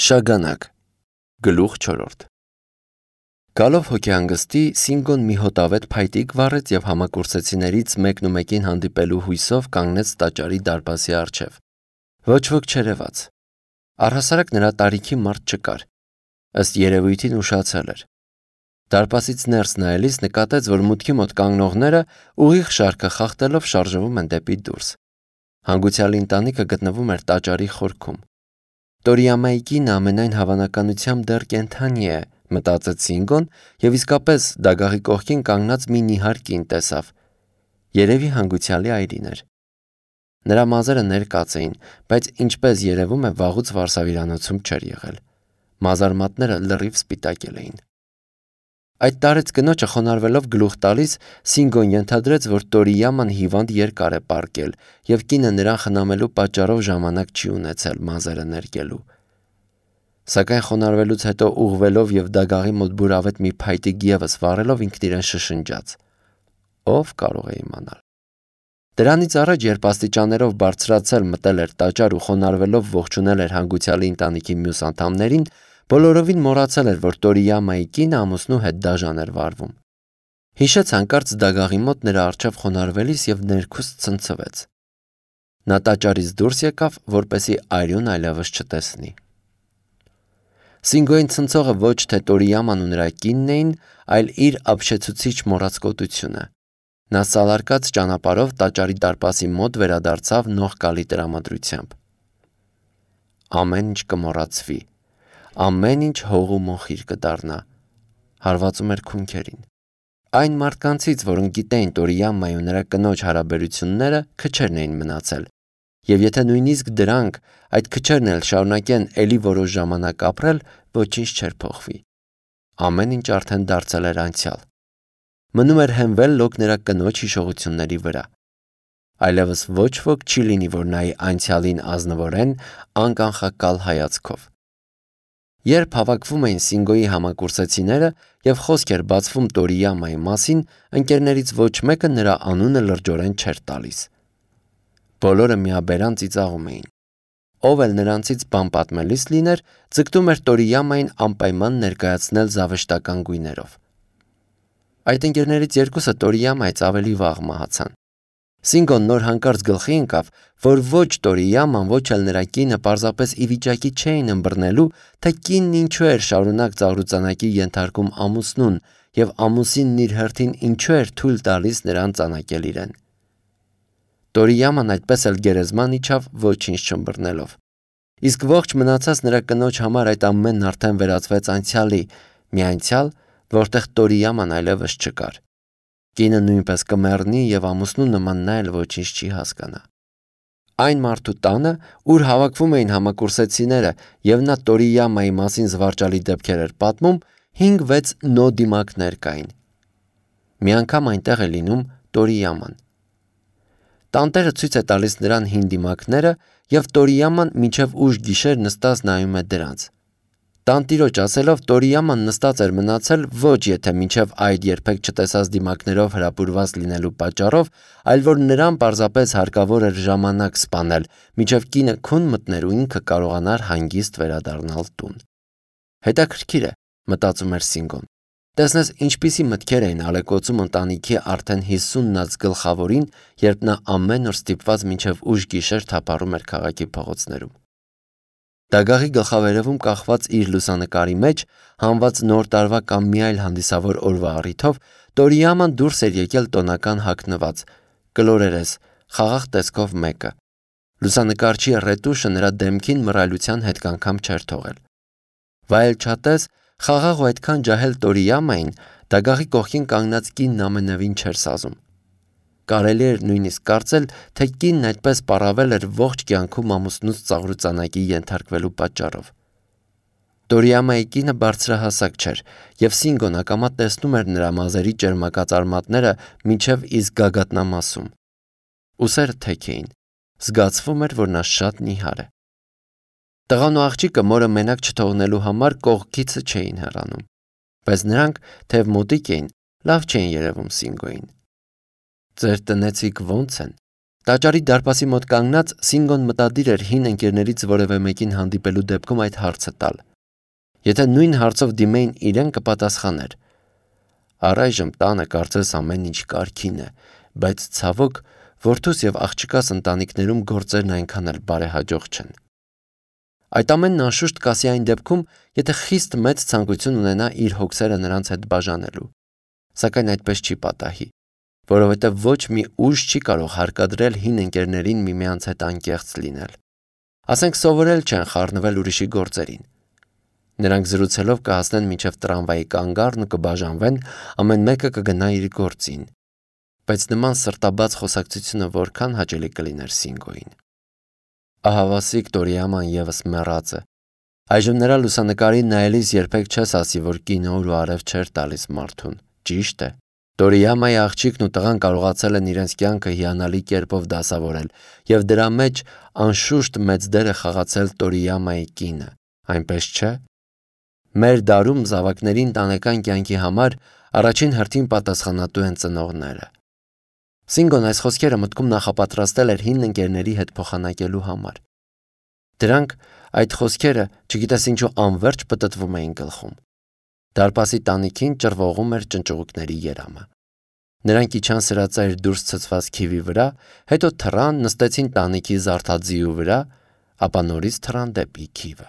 Շագանակ Գլուխ 4 Գալով հոգեհանգստի Սինգոն մի հոտավետ փայտիկ վառեց և համակուրսեցիներից մեկն ու մեկին հանդիպելու հույսով կանգնեց տաճարի դարպասի առջև։ Ոչ ոք չերևաց։ Առհասարակ նրա տարիքի մարդ չկար։ Ըստ երևույթին ուշացել էր։ Դարպասից ներս նայելիս նկատեց, որ մուտքի մոտ կանգնողները ուղիղ շարքը խախտելով շարժվում են դեպի դուրս։ Հանգուցյալի ընտանիքը գտնվում էր տաճարի խորքում։ Տորիամայի կինը ամենայն հավանականությամբ դեռ կենդանի է, մտածեց Սինգոն և իսկապես դագաղի կողքին կանգնած մի նիհար կին տեսավ։ Երևի հանգուցյալի այրին էր։ Նրա մազերը ներկած էին, բայց ինչպես երևում է վաղուց վարսավիրանոցում չէր եղել։ Մազարմատները լրիվ սպիտակել էին։ Այդ տարեց կնոջը խոնարհվելով գլուխ տալիս Սինգոն ենթադրեց, որ Տորիաման հիվանդ երկար է պառկել և կինը նրան խնամելու պատճառով ժամանակ չի ունեցել մազերը ներկելու։ Սակայն խոնարհվելուց հետո ուղղվելով և դագաղի մոտ բուրավետ մի փայտիկ ևս վառելով ինքն իրեն շշնջաց. Ով կարող է իմանալ։ Դրանից առաջ, երբ աստիճաններով բարձրացել մտել էր տաճար ու խոնարհվելով ողջունել էր հանգուցյալի ընտանիքի մյուս անդամներին, բոլորովին մոռացել էր, որ Տորիամայի կինը ամուսնու հետ դաժան էր վարվում։ Հիշեց հանկարծ դագաղի մոտ նրա առջև խոնարհվելիս և ներքուստ ցնցվեց։ Նա տաճարից դուրս եկավ, որպեսզի այրուն այլևս չտեսնի։ Սինգոյին ցնցողը ոչ թե Տորիաման ու նրա կինն էին, այլ իր ապշեցուցիչ մոռացկոտությունը։ Նա սալարկած ճանապարհով տաճարի դարպասի մոտ վերադարձավ նողկալի տրամադրությամբ։ Ամեն ինչ կմոռացվի, ամեն ինչ հող ու մոխիր կդառնա, հարվածում էր քունքերին։ Այն մարդկանցից, որոնք գիտեին Տորիամայի ու նրա կնոջ հարաբերությունները, քչերն էին մնացել, և եթե նույնիսկ դրանք, այդ քչերն էլ շարունակեն էլի որոշ ժամանակ ապրել, ոչինչ չէր փոխվի։ Ամեն ինչ արդեն դարձել էր անցյալ։ Մնում էր հենվել լոկ նրա կնոջ հիշողությունների վրա։ Այլևս ոչ ոք չի լինի, որ նայի անցյալին ազնվորեն, անկանխակալ հայացքով։ Երբ հավաքվում էին Սինգոյի համակուրսեցիները և խոսք էր բացվում Տորիամայի մասին, ընկերներից ոչ մեկը նրա անունը լրջորեն չէր տալիս։ Բոլորը միաբերան ծիծաղում էին։ Ով էլ նրանցից բան պատմելիս լիներ, ձգտում էր Տորիամային անպայման ներկայացնել զավեշտական գույներով։ Այդ ընկերներից երկուսը Տորիամայից ավելի վաղ մահացան։ Սինգոն նոր հանկարծ գլխի ընկավ, որ ոչ Տորիաման, ոչ էլ նրա կինը պարզապես ի վիճակի չէին ըմբռնելու, թե կինն ինչու էր շարունակ ծաղրուծանակի ենթարկում ամուսնուն և ամուսինն իր հերթին ինչու էր թույլ տալիս նրան ծանակել իրեն։ Տորիաման այդպես էլ գերեզման իջավ, ոչինչ չըմբռնելով։ Իսկ ողջ մնացած նրա կնոջ համար այդ ամենն արդեն վերածվեց անցյալի, մի անցյալ, որտեղ Տորիաման այլևս չկար։ Կինը նույնպես կմեռնի և ամուսնու նման նա էլ ոչինչ չի հասկանա։ Այն մարդու տանը, ուր հավաքվում էին համակուրսեցիները և նա Տորիամայի մասին զվարճալի դեպքեր էր պատմում, 5-6 նո դիմակներ կային։ Մի անգամ այնտեղ է լինում Տորիաման։ Տանտերը ցույց է տալիս նրան հին դիմակները և Տորիաման մինչև ուշ գիշեր նստած նայում է դրանց։ Տանտիրոջ ասելով Տորիաման նստած էր մնացել ոչ եթե մինչև այդ երբեք չտեսած դիմակներով հրապուրված լինելու պատճառով, այլ որ նրան պարզապես հարկավոր էր ժամանակ սպանել, մինչև կինը քուն մտներ ու ինքը կարողանար հանգիստ վերադառնալ տուն։ Հետաքրքիր է, մտածում էր Սինգոն։ Տեսնես ինչպիսի մտքեր էին ալեկոծում ընտանիքի արդեն 50-ած գլխավորին, երբ նա ամեն օր ստիպված մինչև ուշ գիշեր թափառում էր քաղաքի փողոցներում։ Դագաղի գլխավերևում կախված իր լուսանկարի մեջ, հանված նոր տարվա կամ մի այլ հանդիսավոր օրվա առիթով, Տորիաման դուրս էր եկել տոնական հագնված, կլորերես, խաղաղ տեսքով մեկը։ Լուսանկարչի ռետուշը նրա դեմքին մռայլության հետքանգամ չէր թողել։ Վայելչատես, խաղաղ ու այդքան ջահել Տորիամային դագաղի կողքին կանգնած կինն ամենևին չէր սազում։ Կարելի էր նույնիսկ կարծել, թե կինն այդպես պառավել էր ողջ կյանքում ամուսնուց ծաղրուծանակի ենթարկվելու պատճառով։ Տորիամայի կինը բարձրահասակ չէր, և Սինգոն ակամա տեսնում էր նրա մազերի ճերմակած արմատները մինչև իսկ գագաթնամասում։ Ուսերը թեք էին, զգացվում էր, որ նա շատ նիհար է։ Տղան ու աղջիկը մորը մենակ չթողնելու համար կողքիցը չէին հեռանում, բայց նրանք, թեև մոտիկ էին, լավ չէին երևում Սինգոյին։ Ձեր տնեցիք ո՞նց են, Տաճարի դարպասի մոտ կանգնած Սինգոն մտադիր էր հին ընկերներից որևէ մեկին հանդիպելու դեպքում այդ հարցը տալ։ Եթե նույն հարցով դիմեին իրեն, կպատասխաներ. «Առայժմ տանը կարծես ամեն ինչ կարգին է, բայց ցավոք որդուս եւ աղջկաս ընտանիքներում գործերն այնքան էլ բարեհաջող չեն»։ Այդ ամենն անշուշտ կասի այն դեպքում, եթե խիստ մեծ ցանկություն ունենա իր հոգսերը նրանց հետ բաժանելու, սակայն այդպես չի պատահի, որովհետև ոչ մի ուժ չի կարող հարկադրել հին ընկերներին միմյանց հետ անկեղծ լինել։ Ասենք սովորել չեն խառնվել ուրիշի գործերին։ Նրանք զրուցելով կհասնեն մինչև տրամվայի կանգառն ու կբաժանվեն, ամեն մեկը կգնա իր գործին։ Բայց նման սրտաբաց խոսակցությունը որքան հաճելի կլիներ Սինգոյին։ Ահավասիկ Տորիաման եւս մեռած է։ Այժմ նրա լուսանկարին նայելիս երբեք չես ասի, որ կինո ու արև չէր տալիս մարդուն։ Ճիշտ է։ Տորիամայի աղջիկն ու տղան կարողացել են իրենց կյանքը հիանալի կերպով դասավորել, եւ դրա մեջ անշուշտ մեծ դեր է խաղացել Տորիամայի կինը, այնպես չէ։ Մեր դարում զավակների ընտանեկան կյանքի համար առաջին հերթին պատասխանատու են ծնողները։ Սինգոն այս խոսքերը մտքում նախապատրաստել էր հին ընկերների հետ փոխանակելու համար։ Դրանք այդ խոսքերը չգիտես ինչու անverջ պտտվում էին գլխում։ Դարպասի տանիքին ճռվողում էր ճնճղուկների երամը։ Նրանք իջան սրածայր դուրս ցցված քիվի վրա, հետո թռան, նստեցին տանիքի զարդաձիու վրա, ապա նորից թռան դեպի քիվը։